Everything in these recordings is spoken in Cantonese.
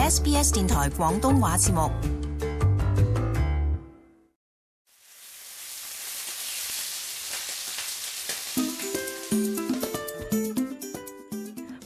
SBS 電台廣東話節目。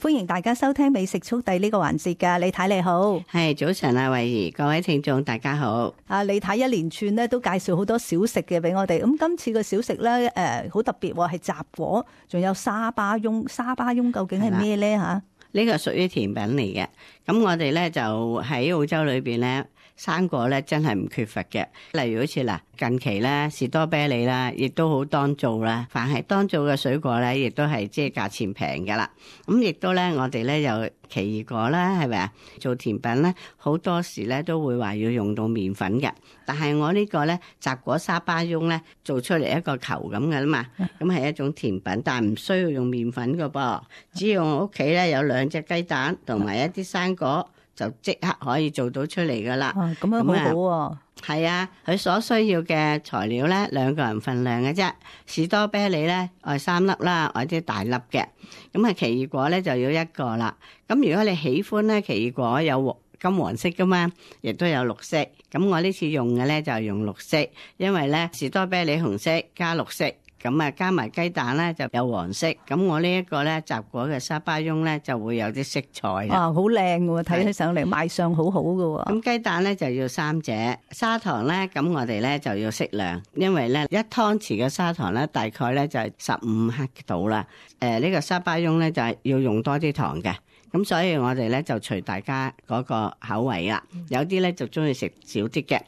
歡迎大家收聽美食速遞呢個環節㗎，李太你好。係早晨啊，慧怡，各位聽眾大家好。李太一連串咧都介紹好多小食嘅俾我哋，咁今次嘅小食咧好特別喎，係雜果，仲有沙巴翁。沙巴翁究竟係咩咧吓？呢個屬於甜品嚟嘅，咁我哋咧就喺澳洲裏邊咧，生果咧真係唔缺乏嘅。例如好似嗱，近期咧士多啤梨啦，亦都好當造啦。凡係當造嘅水果咧，亦都係即係價錢平㗎啦。咁亦都咧，我哋咧有奇異果啦，係咪啊？做甜品咧，好多時咧都會話要用到麵粉嘅。但係我呢個咧雜果沙巴翁咧，做出嚟一個球咁嘅啦嘛，咁係一種甜品，但係唔需要用麵粉㗎噃，只要我屋企咧有2隻雞蛋同埋一啲生果，就即刻可以做到出嚟噶啦。咁樣好好喎。係啊，佢所需要嘅材料咧，2個人份量嘅啫。士多啤梨咧，愛3粒啦，或者大粒嘅。咁啊，奇異果咧就要1個啦。咁如果你喜歡咧，奇異果有金黃色噶嘛，亦都有綠色。咁我呢次用嘅咧就係用綠色，因為咧士多啤梨紅色加綠色。咁啊，加埋雞蛋咧就有黃色，咁我呢一個咧雜果嘅沙巴翁咧就會有啲色彩啦。好靚喎，睇起上嚟賣相好好㗎喎。咁雞蛋咧就要3隻，砂糖咧咁我哋咧就要適量，因為咧1湯匙嘅砂糖咧大概咧就係15克度啦。呢個沙巴翁咧就係要用多啲糖嘅。咁所以我哋咧就隨大家嗰個口味啦，有啲咧就中意食少啲嘅。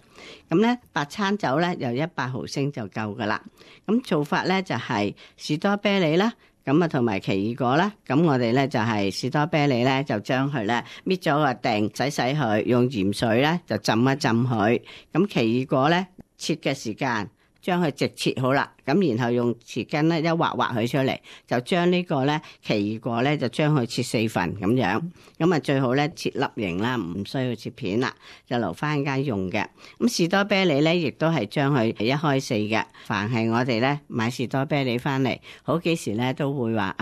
咁咧白餐酒咧有100毫升就夠噶啦。咁做法咧就係士多啤梨啦，咁啊同埋奇異果啦。咁我哋咧就係士多啤梨咧就將佢咧搣咗個頂，洗佢，用鹽水咧就浸一浸佢。咁奇異果咧切嘅時間，將佢直切好啦，咁然後用匙羹咧一劃佢出嚟，就將呢個咧奇異果咧就將佢切4份咁樣，咁啊最好咧切粒形啦，唔需要切片啦，就留翻間用嘅。咁士多啤梨咧亦都係將佢1開4嘅，凡係我哋咧買士多啤梨翻嚟，好幾時咧都會話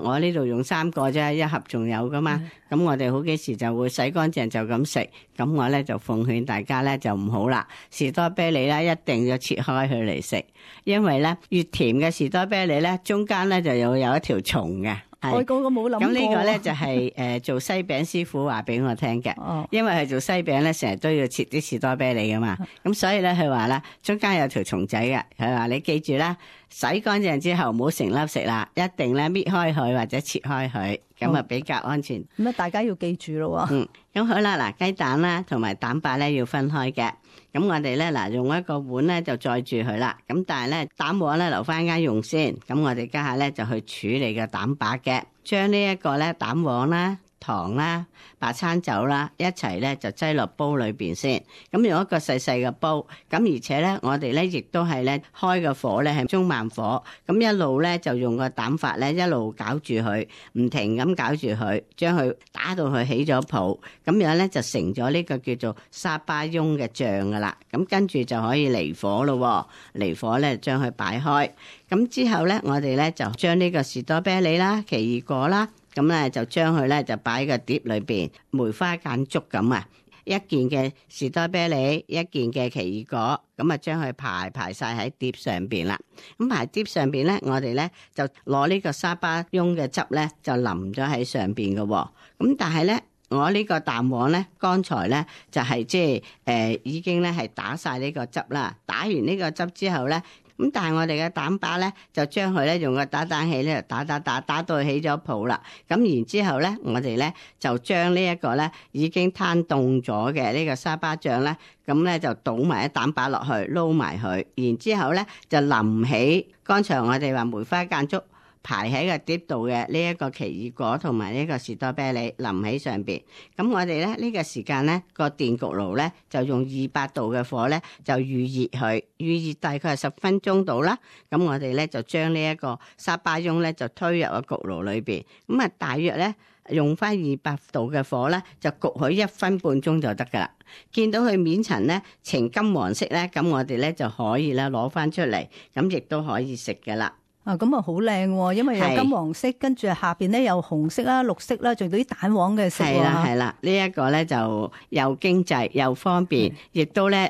我呢度用3個啫，1盒仲有噶嘛。咁我哋好幾時就會洗乾淨就咁食。咁我咧就奉勸大家咧就唔好啦，士多啤梨咧一定要切開佢嚟食，因為咧越甜嘅士多啤梨咧中間咧就有一條蟲嘅。我嗰個冇諗過。咁呢個咧就係做西餅師傅話俾我聽嘅。因為佢做西餅咧成日都要切啲士多啤梨噶嘛。咁所以咧佢話啦，中間有條蟲仔嘅。佢話你記住啦，洗乾淨之後唔好成粒食啦，一定咧搣開佢或者切開佢，咁啊比較安全。咁大家要記住咯喎。咁好啦，嗱雞蛋啦同埋蛋白咧要分開嘅。咁我哋咧用一個碗咧就載住佢啦。咁但係咧蛋黃咧留翻間用先。咁我哋家下咧就去處理個蛋白嘅，將呢一個咧蛋黃啦、糖啦、白餐酒啦一齊咧就擠落煲裏邊先。咁用一個細細嘅煲，咁而且咧我哋咧亦都係咧開個火咧係中慢火，咁一路咧就用個蛋法咧一路攪住佢，唔停咁攪住佢，將佢打到佢起咗泡，咁樣咧就成咗呢個叫做沙巴翁嘅醬噶啦。咁跟住就可以離火咯，離火咧將佢擺開。咁之後咧我哋咧就將呢個士多啤梨啦、奇異果啦。咁咧就將佢咧就擺喺個碟裏邊，梅花間竹咁啊！一件嘅士多啤梨，一件嘅奇異果，咁啊將佢排晒喺碟上邊啦。咁排碟上邊咧，我哋咧就攞呢個沙巴翁嘅汁咧就淋咗喺上邊嘅。咁但係咧，我呢個蛋黃咧，剛才咧就係即係已經咧係打晒呢個汁啦。打完呢個汁之後咧。咁但係我哋嘅蛋白咧，就將佢咧用個打蛋器咧打到起咗泡啦。咁然之後咧，我哋咧就將呢一個咧已經攤凍咗嘅呢個沙巴醬咧，咁咧就倒埋啲蛋白落去撈埋佢，然之後咧就淋起剛才我哋話梅花間竹排喺個碟度嘅呢一個奇異果同埋呢個士多啤梨淋喺上邊。咁我哋咧呢個時間咧個電焗爐咧就用200度嘅火咧就預熱佢，預熱大概係10分鐘到啦。咁我哋咧就將呢一個沙巴翁咧就推入個焗爐裏邊，咁啊大約咧用翻200度嘅火咧就焗佢1分半鐘就得噶啦。見到佢面層咧呈金黃色咧，咁我哋咧就可以咧攞翻出嚟，咁亦都可以食噶啦。啊，咁啊好靚喎，因為有金黃色，跟住下邊咧有紅色啦、綠色啦，仲有啲蛋黃嘅色喎。係啦係啦，呢一個咧就又經濟又方便，亦都咧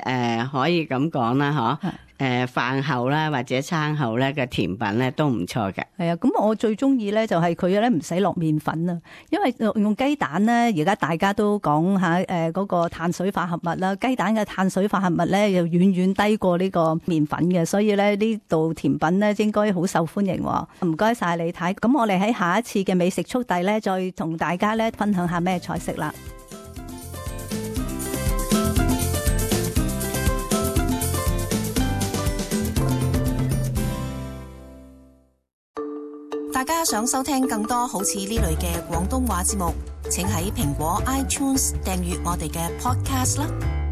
可以咁講啦，嗬。飯後啦或者餐後咧嘅甜品咧都唔錯嘅。係啊，咁我最中意咧就係佢咧唔使落麵粉啊，因為用雞蛋咧，而家大家都講下嗰個碳水化合物啦，雞蛋嘅碳水化合物咧又遠遠低過呢個麵粉嘅，所以咧呢道甜品咧應該好受歡迎。唔該晒李太，咁我哋喺下一次嘅美食速遞咧，再同大家咧分享下咩菜式啦。大家想收聽更多好似呢類嘅廣東話節目，請喺蘋果 iTunes 訂閱我哋嘅 Podcast 啦。